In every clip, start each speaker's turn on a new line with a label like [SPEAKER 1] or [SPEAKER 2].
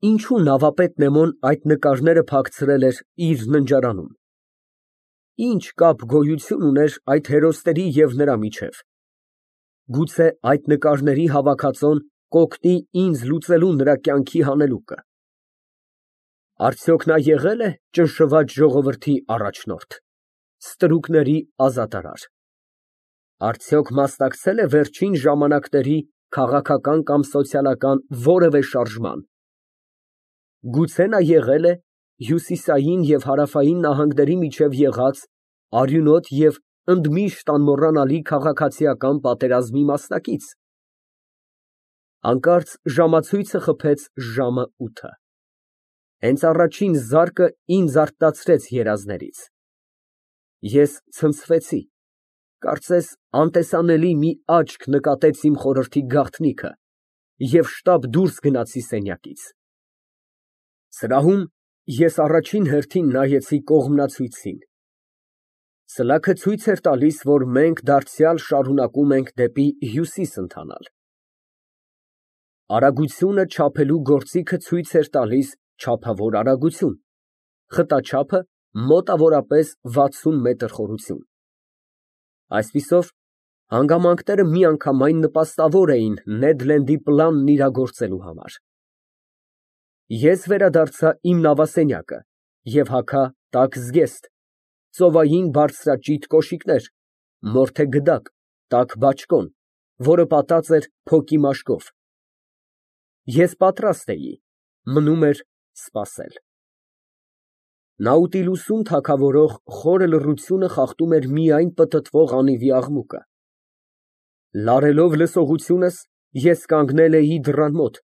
[SPEAKER 1] Ինչու նավապետ Նեմոն այդ նկարները փակցրել էր իր ննջարանում։ Ինչ կապ գոյություն ուներ այդ հերոսների և նրա միջև։ Գուցե այդ նկարների հավաքածոն կօգնի ինձ լուծելու նրա կյանքի հանելուկը։ Արդյոք նա եղե՞լ է ճնշված ժողովրդի առաջնորդ, ստրուկների ազատարար։ Արդյոք մասնակցել է վերջին ժամանակների քաղաքական կամ սոցիալական որևէ շարժման։ Գուցե նա եղել է հյուսիսային և հարավային նահանգների միջև եղած արյունոտ և ընդմիշտ անմոռանալի քաղաքացիական պատերազմի մասնակից։ Հանկարծ ժամացույցը խփեց ժամը 8։ Հենց առաջին զարկը ինձ արթնացրեց երազներից։ Ես ցնցվեցի, կարծես անտեսանելի մի աչք նկատեց իմ խորհրդի գաղտնիքը և շտապ դուրս գնացի սենյակից։ Սրահում ես առաջին հերթին նայեցի կողմնացույցին։ Սլաքը ցույց էր տալիս, որ մենք դարձյալ շարունակում ենք դեպի հյուսիս ընթանալ։ Արագությունը չափելու գործիքը ցույց էր տալիս չափավոր արագություն, խտաչափը մոտավորապես 60 մետր խորություն։ Այսպիսով, հանգամանքները միանգամայն նպաստավոր էին Նեդ Լենդի պլանն իրագործելու համար։ Ես վերադարձա իմ նավասենյակը և հագա տաք զգեստ, ծովային բարձրաճիտ կոշիկներ, մորթե գդակ, տաք բաճկոն, որը պատած էր փոկի մաշկով։ Ես պատրաստ էի, մնում էր սպասել։ Նաուտիլուսում թագավորող խորը լռությունը խախտում էր միայն պտտվող անիվի աղմուկը։ Լարելով լսողությունս, ես կանգնել էի դռան մոտ,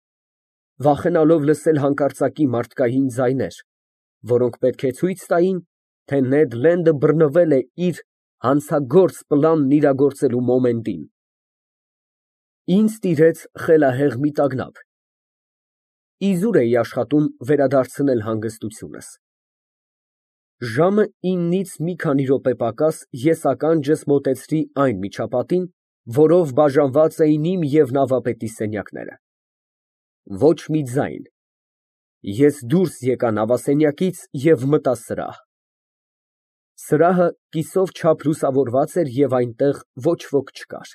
[SPEAKER 1] վախենալով լսել հանկարծակի մարդկային ձայներ, որոնք պետք է ցույց տային, թե Նեդ Լենդը բռնվել է իր հանցագործ պլանն իրագործելու մոմենտին։ Ինձ տիրեց խելահեղ մի տագնապ։ Իզուր էի աշխատում վերադարձնել հանգստությունս։ Ժամը 9-ից մի քանի րոպե պակաս ես ականջս մոտեցրի այն միջապատին, որով բաժանված էին իմ և նավապետի սենյակները։ Ոչ մի ձայն։ Ես դուրս եկա նավասենյակից և մտա սրահ։ Սրահը կիսով չափ լուսավորված էր և այնտեղ ոչ ոք չկար։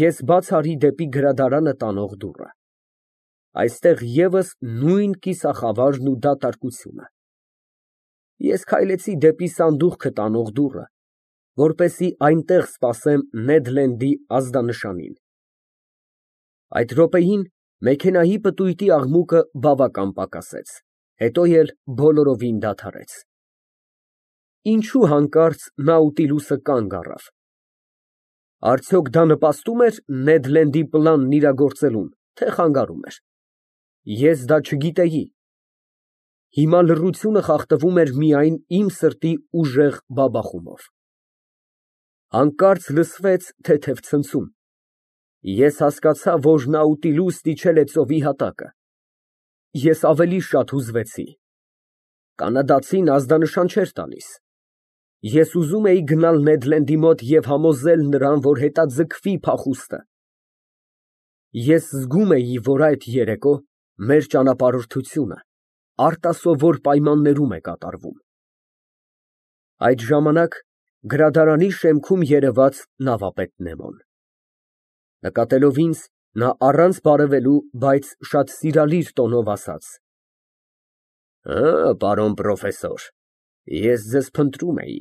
[SPEAKER 1] Ես բաց արի դեպի գրադարանը տանող դուռը։ Այստեղ ևս նույն կիսախավարն ու դատարկությունը։ Ես քայլեցի դեպի սանդուղքը տանող դուռը, որպեսզի այնտեղ սպասեմ Նեդ Լենդի ազդանշանին։ Այդ րոպեին մեքենայի պտույտի աղմուկը բավական պակասեց, հետո էլ բոլորովին դադարեց։ Ինչու հանկարծ Նաուտիլուսը կանգ առավ։ Արդյոք դա նպաստում էր Նեդ Լենդի պլանն իրագործելուն, թե խանգարում էր։ Ես դա չգիտեի։ Հիմա լռությունը խախտվում էր միայն իմ սրտի ուժեղ բաբախումով։ Հանկարծ լսվեց թեթև ցնցում։ Ես հասկացա, որ Նաուտիլուսն իջել է ծովի հատակը։ Ես ավելի շատ հուզվեցի։ Կանադացին ազդանշան չէր տալիս։ Ես ուզում էի գնալ Նեդ Լենդի մոտ և համոզել նրան, որ հետաձգվի փախուստը։ Ես զգում էի, որ այդ երեկո մեր ճանապարհորդությունը արտասովոր պայմաններում է կատարվում։ Այդ ժամանակ գրադարանի շեմքում երևաց նավապետ Նեմոն։ Նկատելով ինձ, նա առանց բարևելու, բայց շատ սիրալիր տոնով ասաց. Պարոն պրոֆեսոր, ես ձեզ փնտրում էի,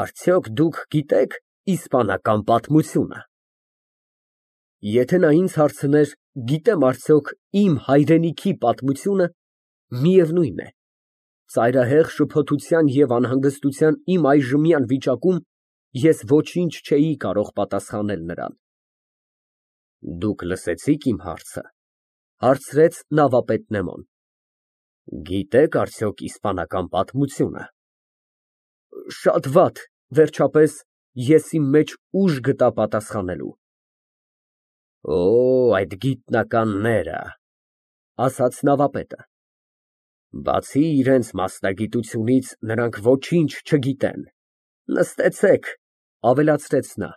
[SPEAKER 1] արդյոք դուք գիտեք իսպանական պատմությունը։ Եթե նա ինձ հարցներ, գիտեմ արդյոք իմ հայրենիքի պատմությունը, միևնույն է, ծայրահեղ շփոթության և անհանգստության իմ այժմյան վիճակում ես ոչինչ չէի կարող պատասխանել նրան։ Դուք լսեցի՞ք իմ հարցը, հարցրեց նավապետ Նեմոն։ Գիտե՞ք արդյոք իսպանական պատմությունը։ Շատ վատ, վերջապես, ես իմ մեջ ուժ գտա պատասխանելու։ Այդ գիտնականները, ասաց նավապետը։ Բացի իրենց մասնագիտությունից, նրանք ոչինչ չգիտեն։ Նստեցեք, ավելացրեց նա։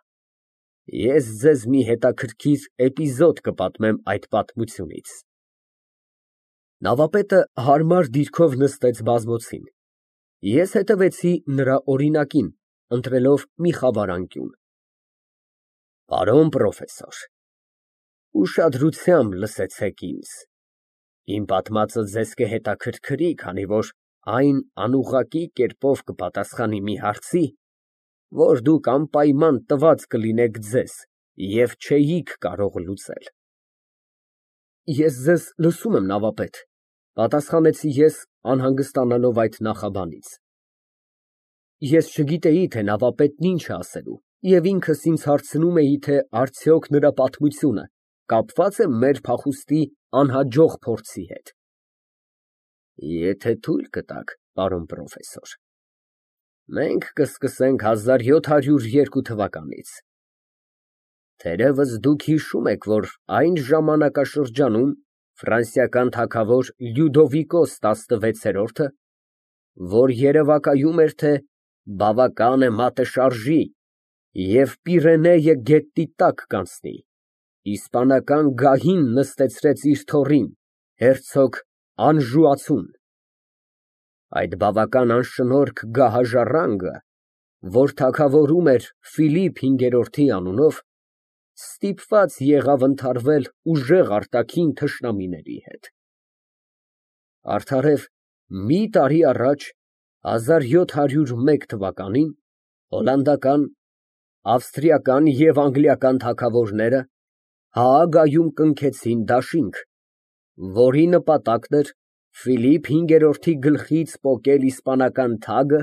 [SPEAKER 1] Ես ձեզ մի հետաքրքիր էպիզոդ կպատմեմ այդ պատմությունից։ Նավապետը հարմար դիրքով նստեց բազմոցին։ Ես հետևեցի նրա օրինակին, ընտրելով մի խավար անկյուն։ Պարոն պրոֆեսոր, ուշադրությամբ լսեցեք ինձ։ Իմ պատմածը ձեզ կհետաքրքրի, քանի որ այն անուղղակի կերպով կպատասխանի մի հարցի, որ դուք անպայման տված կլինեք ձեզ և չէիք կարող լուծել։ Ես ձեզ լսում եմ, նավապետ, պատասխանեցի ես, անհանգստանալով այդ նախաբանից։ Ես չգիտեի, թե նավապետն ինչ է ասելու, և ինքս ինձ հարցնում էի, թե արդյոք նրա պատմությունը կապված է մեր փախուստի անհաջող փորձի հետ։ Եթե թույլ կտաք, պարոն պրոֆեսոր, մենք կսկսենք 1702 թվականից։ Թերևս դուք հիշում եք, որ այն ժամանակաշրջանում ֆրանսիական թագավոր Լյուդովիկոս 16-րդը, որ երևակայում էր, թե բավական է մատը շարժի և Պիրենեյը գետնի տակ կանցնի, իսպանական գահին նստեցրեց իր թոռին, հերցոգ Անժուացուն։ Այդ բավական անշնորհք գահաժառանգը, որ թագավորում էր Ֆիլիպ V անունով, ստիպված եղավ ընդհարվել ուժեղ արտաքին թշնամիների հետ։ Արդարև մի տարի առաջ, 1701 թվականին, հոլանդական, ավստրիական և անգլիական թագավորները Հաագայում կնքեցին դաշինք, որի նպատակն էր Ֆիլիպ V-ի գլխից պոկել իսպանական թագը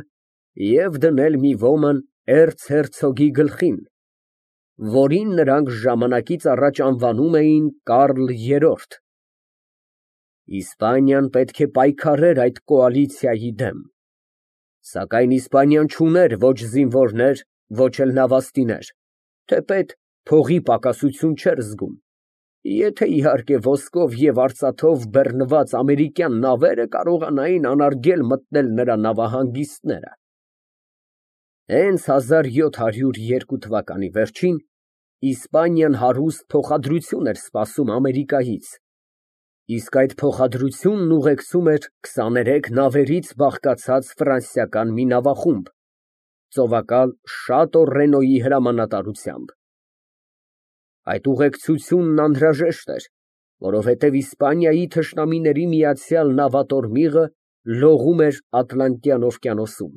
[SPEAKER 1] և դնել մի ոմն էրցհերցոգի գլխին, որին նրանք ժամանակից առաջ անվանում էին Կարլ III։ Իսպանիան պետք է պայքարեր այդ կոալիցիայի դեմ, սակայն Իսպանիան չուներ ոչ զինվորներ, ոչ էլ նավաստիներ, թեպետ փողի պակասություն չէր զգում, եթե իհարկե ոսկով և արծաթով բեռնված ամերիկյան նավերը կարողանային անարգել մտնել նրա նավահանգիստները։ Հենց 1702 թվականի վերջին Իսպանիան հարուստ փոխադրություն էր սպասում Ամերիկայից, իսկ այդ փոխադրությունն ուղեկցում էր 23 նավերից բաղկացած ֆրանսիական մի նավախումբ, ծովակալ Շատո Ռենոյի հրամանատարությամբ։ Այդ ուղեկցությունն անհրաժեշտ էր, որովհետև Իսպանիայի թշնամիների միացյալ նավատորմիղը լողում էր Ատլանտյան օվկիանոսում։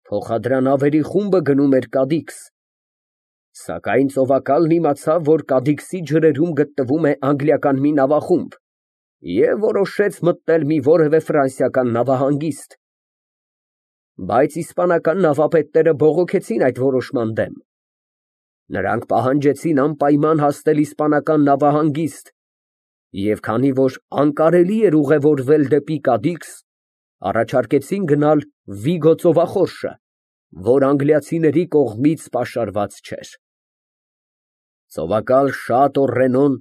[SPEAKER 1] Փոխադրանավերի խումբը գնում էր Կադիքս, սակայն ծովակալն իմացավ, որ Կադիքսի ջրերում գտնվում է անգլիական մի նավախումբ և որոշեց մտնել մի որևէ ֆրանսիական նավահանգիստ։ Բայց իսպանական նավապետները բողոքեցին այդ որոշման դեմ։ Նրանք պահանջեցին անպայման հասնել իսպանական նավահանգիստ և քանի որ անկարելի էր ուղևորվել դեպի Կադիքս, առաջարկեցին գնալ Վիգո ծովախորշը, որ անգլիացիների կողմից պաշարված չէր։ Ծովակալ Շատո Ռենոն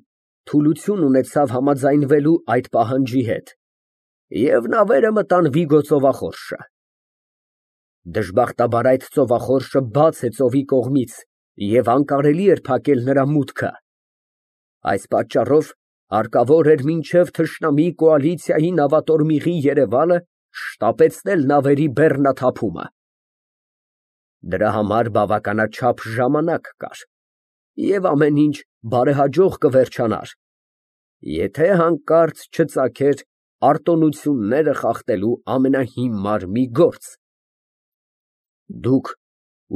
[SPEAKER 1] թուլություն ունեցավ համաձայնվելու այդ պահանջի հետ, և նավերը մտան Վիգո ծովախորշը։ Դժբախտաբար այդ ծովախորշը բաց է ծովի կողմից և անկարելի էր փակել նրա մուտքը։ Այս պատճառով հարկավոր էր մինչև թշնամի կոալիցիայի նավատորմիղի երևալը շտապեցնել նավերի բեռնաթափումը։ Դրա համար բավականաչափ ժամանակ կար, և ամեն ինչ բարեհաջող կվերջանար, եթե հանկարծ չծագեր արտոնությունները խախտելու ամենահիմար մի գործ։ Դուք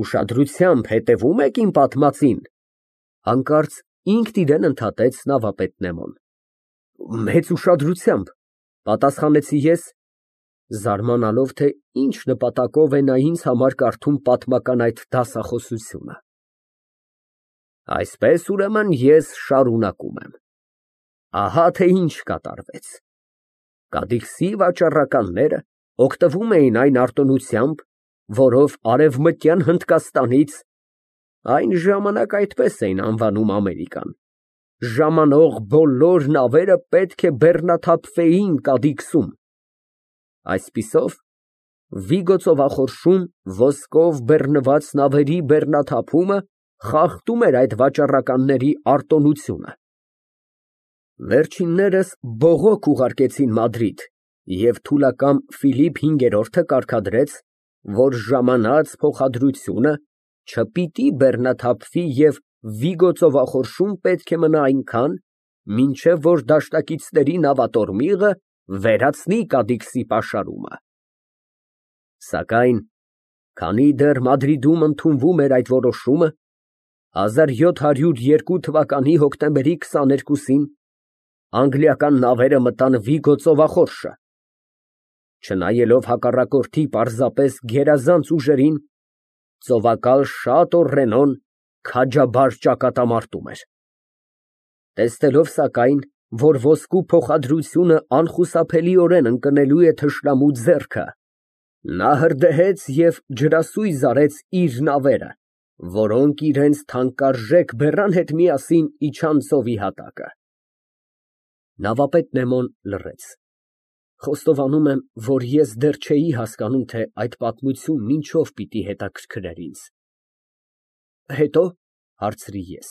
[SPEAKER 1] ուշադրությամբ հետևո՞ւմ եք իմ պատմածին, հանկարծ ինքն իրեն ընդհատեց նավապետ Նեմոն։ Մեծ ուշադրությամբ, պատասխանեցի ես, զարմանալով, թե ինչ նպատակով է նա ինձ համար կարդում պատմական այդ դասախոսությունը։ Այսպես, ուրեմն, ես շարունակում եմ։ Ահա թե ինչ կատարվեց։ Կադիքսի վաճառականները օգտվում էին այն արտոնությամբ, որով Արևմտյան Հնդկաստանից (այն ժամանակ այդպես էին անվանում Ամերիկան) ժամանող բոլոր նավերը պետք է բեռնաթափվեին Կադիքսում։ Այսպիսով, Վիգո ծովախորշում ոսկով բեռնված նավերի բեռնաթափումը խախտում էր այդ վաճառականների արտոնությունը։ Վերջիններս բողոք ուղարկեցին Մադրիդ, և թուլակամ Ֆիլիպ V կարգադրեց, որ ժամանած փոխադրությունը չպիտի բեռնաթափվի և Վիգո ծովախորշում պետք է մնա այնքան, մինչև որ դաշնակիցների նավատորմիղը վերացնի Կադիքսի պաշարումը։ Սակայն քանի դեռ Մադրիդում ընդունվում էր այդ որոշումը, 1702 թվականի հոկտեմբերի 22-ին անգլիական նավերը մտան Վիգո ծովախորշը։ Չնայելով հակառակորդի պարզապես գերազանց ուժերին, ծովակալ Շատո Ռենոն քաջաբար ճակատամարտում էր։ Տեսնելով սակայն, որ ոսկու փոխադրությունը անխուսափելիորեն ընկնելու է թշնամու ձեռքը, նա հրդեհեց և ջրասույզ արեց իր նավերը, որոնք իրենց թանկարժեք բեռան հետ միասին իջան ծովի հատակը։ Նավապետ Նեմոն լռեց։ Խոստովանում եմ, որ ես դեռ չէի հասկանում, թե այդ պատմությունն ինչով պիտի հետաքրքրեր ինձ։ Հետո, հարցրի ես։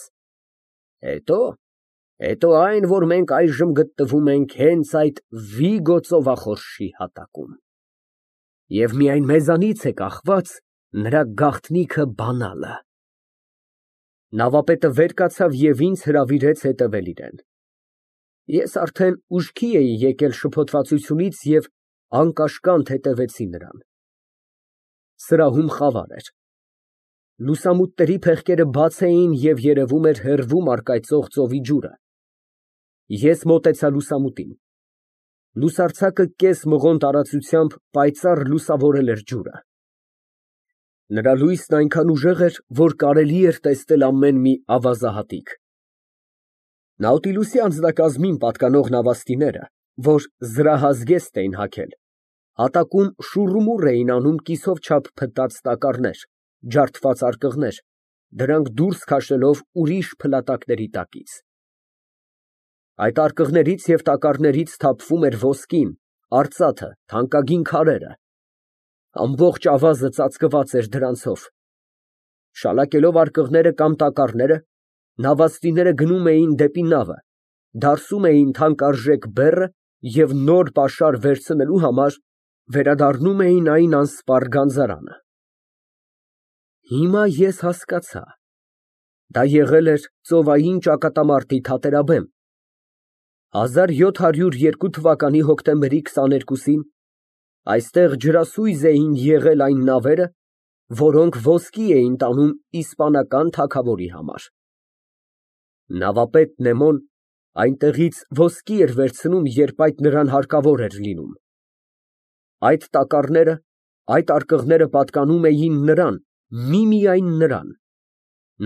[SPEAKER 1] Հետո այն, որ մենք այժմ գտնվում ենք հենց այդ Վիգո ծովախորշի հատակում։ Եվ միայն մեզանից է կախված նրա գաղտնիքը բանալը։ Նավապետը վեր կացավ և ինձ հրավիրեց հետևել իրան։ Ես արդեն ուշքի էի եկել շփոթվածությունից և անկաշկանդ հետևեցի նրան։ Սրահում խավար էր։ Լուսամուտների փեղկերը բաց էին և երևում էր հեռվում առկայծող ծովի ջուրը։ Ես մոտեցա լուսամուտին։ Լուսարձակը կես մղոն տարածությամբ պայծառ լուսավորել էր ջուրը։ Նրա լույսն այնքան ուժեղ էր, որ կարելի էր տեսնել ամեն մի ավազահատիկ։ Նաուտիլուսի անձնակազմին պատկանող նավաստիները, որ զրահազգեստ էին հագել, հատակում շուռումուռ էին անում կիսով չափ փտած տակառներ, ջարդված արկղներ, դրանք դուրս քաշելով ուրիշ փլատակների տակից։ Այդ արկղներից և տակառներից թափվում էր ոսկին, արծաթը, թանկագին քարերը։ Ամբողջ ավազը ծածկված էր դրանցով։ Շալակելով արկղները կամ տակառները, նավաստիները գնում էին դեպի նավը, դարսում էին թանկարժեք բեռը և նոր պաշար վերցնելու համար վերադառնում էին այն անսպառ գանձարանը։ Հիմա ես հասկացա։ Դա եղել էր ծովային ճակատամարտի թատերաբեմ։ 1702 թվականի հոկտեմբերի 22-ին այստեղ ջրասույզ էին եղել այն նավերը, որոնք ոսկի էին տանում իսպանական թագավորի համար։ Նավապետ Նեմոն այնտեղից ոսկի էր վերցնում, երբ այդ նրան հարկավոր էր լինում։ Այդ տակառները, այդ արկղները պատկանում էին նրան, միմիայն նրան։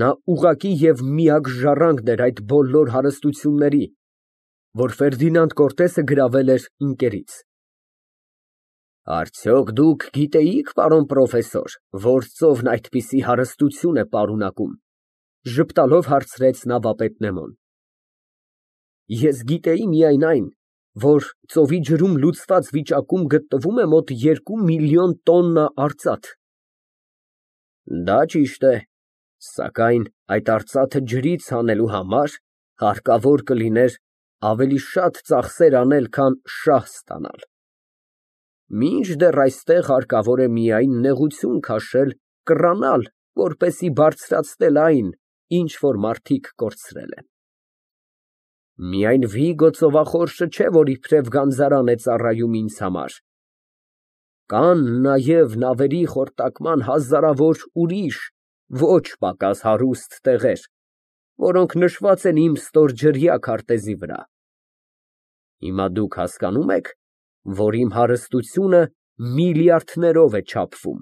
[SPEAKER 1] Նա ուղղակի և միակ ժառանգն էր այդ բոլոր հարստությունների, որ Ֆերդինանդ Կորտեսը գրավել էր ինկերից։ Արդյոք դուք գիտեիք, պարոն պրոֆեսոր, որ ծովն այդպիսի հարստություն է պարունակում, ժպտալով հարցրեց նավապետ Նեմոն։ Ես գիտեի միայն այն, որ ծովի ջրում լուծված վիճակում գտնվում է մոտ 2 միլիոն տոննա արծաթ։ Դա ճիշտ է, սակայն այդ արծաթը ջրից հանելու համար հարկավոր կլիներ ավելի շատ ծախսեր անել, քան շահ ստանալ։ Մինչդեռ այստեղ հարկավոր է միայն նեղություն քաշել, կռանալ, որպեսզի բարձրացնել այն, ինչ որ մարդիկ կորցրել են։ Միայն Վիգո ծովախորշը չէ, որ իբրև գանձարան է ծառայում ինձ համար։ Կան նաև նավերի խորտակման հազարավոր ուրիշ, ոչ պակաս հարուստ տեղեր, որոնք նշված են իմ ստորջրյա քարտեզի վրա։ Հիմա դուք հասկանում եք, որ իմ հարստությունը միլիարդներով է չափվում։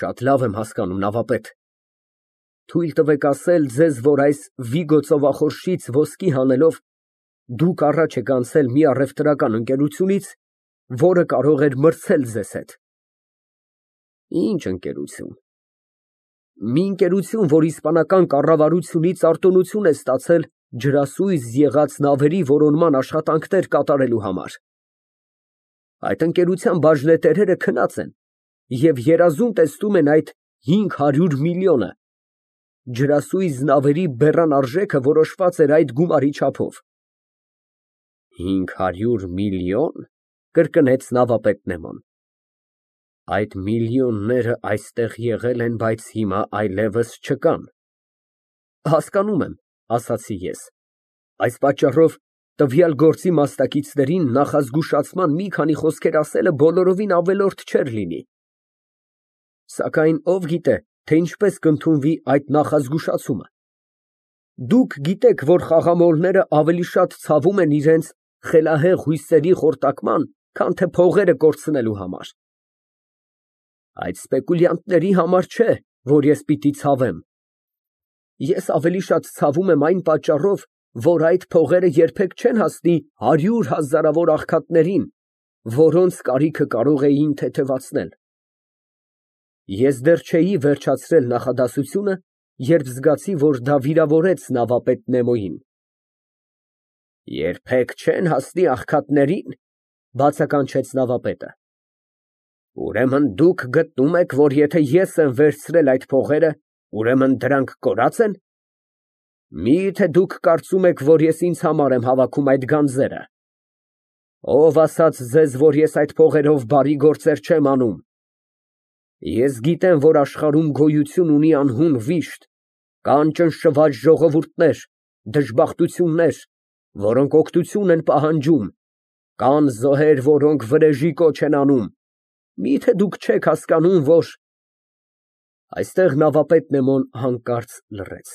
[SPEAKER 1] Շատ լավ եմ հասկանում, նավապետ։ Թույլ տվեք ասել ձեզ, որ այս Վիգո ծովախորշից ոսկի հանելով դուք առաջ եք անցել մի առևտրական ընկերությունից, որը կարող էր մրցել ձեզ հետ։ Ինչ ընկերություն։ Մի ընկերություն, որ իսպանական կառավարությունից արտոնություն է ստացել ջրասույզ եղած նավերի որոնման աշխատանքներ կատարելու համար։ Այդ ընկերության բաժնետերերը քնած են և երազում տեսնում են այդ 500 միլիոնը, ջրասույզ նավերի բեռան արժեքը որոշված էր այդ գումարի չափով։ 500 միլիոն, կրկնեց նավապետ Նեման։ Այդ միլիոնները այստեղ եղել են, բայց հիմա այլևս չկան։ Հասկանում եմ, ասացի ես։ Այս պատճառով տվյալ գործի մասնակիցներին նախազգուշացման մի քանի խոսքեր ասելը բոլորովին ավելորդ չէր լինի։ Սակայն ով գիտե, թե ինչպես կընդունվի այդ նախազգուշացումը։ Դուք գիտեք, որ խաղամոլները ավելի շատ ցավում են իրենց խելահեղ հույսերի խորտակման, քան թե փողերը կորցնելու համար։ Այդ սպեկուլյանտների համար չէ, որ ես պիտի ցավեմ։ Ես ավելի շատ ցավում եմ այն պատճառով, որ այդ փողերը երբեք չեն հասնի 100 հազարավոր աղքատներին, որոնց կարիքը կարող էին թեթևացնել։ Ես դեռ չէի վերջացրել նախադասությունը, երբ զգացի, որ դա վիրավորեց նավապետ Նեմոյին։ Երբեք չեն հասնի աղքատներին, բացականչեց նավապետը։ Ուրեմն դուք գտնում եք, որ եթե ես եմ վերցրել այդ փողերը, ուրեմն դրանք կորած են։ Մի՞թե դուք կարծում եք, որ ես ինձ համար եմ հավաքում այդ գանձերը։ Ով ասաց ձեզ, որ ես այդ փողերով բարի գործեր չեմ անում։ Ես գիտեմ, որ աշխարհում գոյություն ունի անհուն վիշտ, կան ճնշված ժողովուրդներ, դժբախտություններ, որոնք օգնություն են պահանջում, կան զոհեր, որոնք վրեժի կոչ են անում։ Մի՞թե դուք չեք հասկանում, որ… Այստեղ նավապետ Նեմոն հանկարծ լռեց։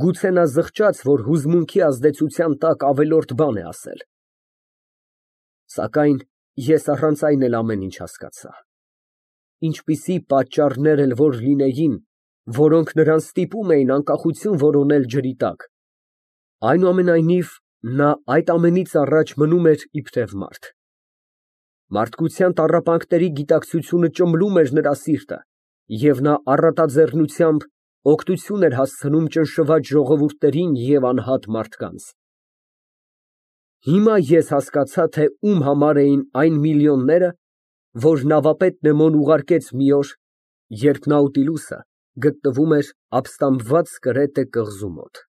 [SPEAKER 1] Գուցե նա զղջաց, որ հուզմունքի ազդեցության տակ ավելորդ բան է ասել։ Սակայն ես առանց այն էլ ամեն ինչ հասկացա։ Ինչպիսի պատճառներ էլ որ լինեին, որոնք նրան ստիպում էին անկախություն որոնել ջրի տակ, այնուամենայնիվ նա այդ ամենից առաջ մնում էր իբրև մարդ։ Մարդկության տառապանքների գիտակցությունը ճմլում էր նրա սիրտը, և նա առատաձեռնությամբ օգնություն էր հասցնում ճնշված ժողովուրդներին և անհատ մարդկանց։ Հիմա ես հասկացա, թե ում համար էին այն միլիոնները, որ նավապետ Նեմոն ուղարկեց մի օր, երբ Նաուտիլուսը գտնվում էր ապստամբված Կրետե կղզու մոտ։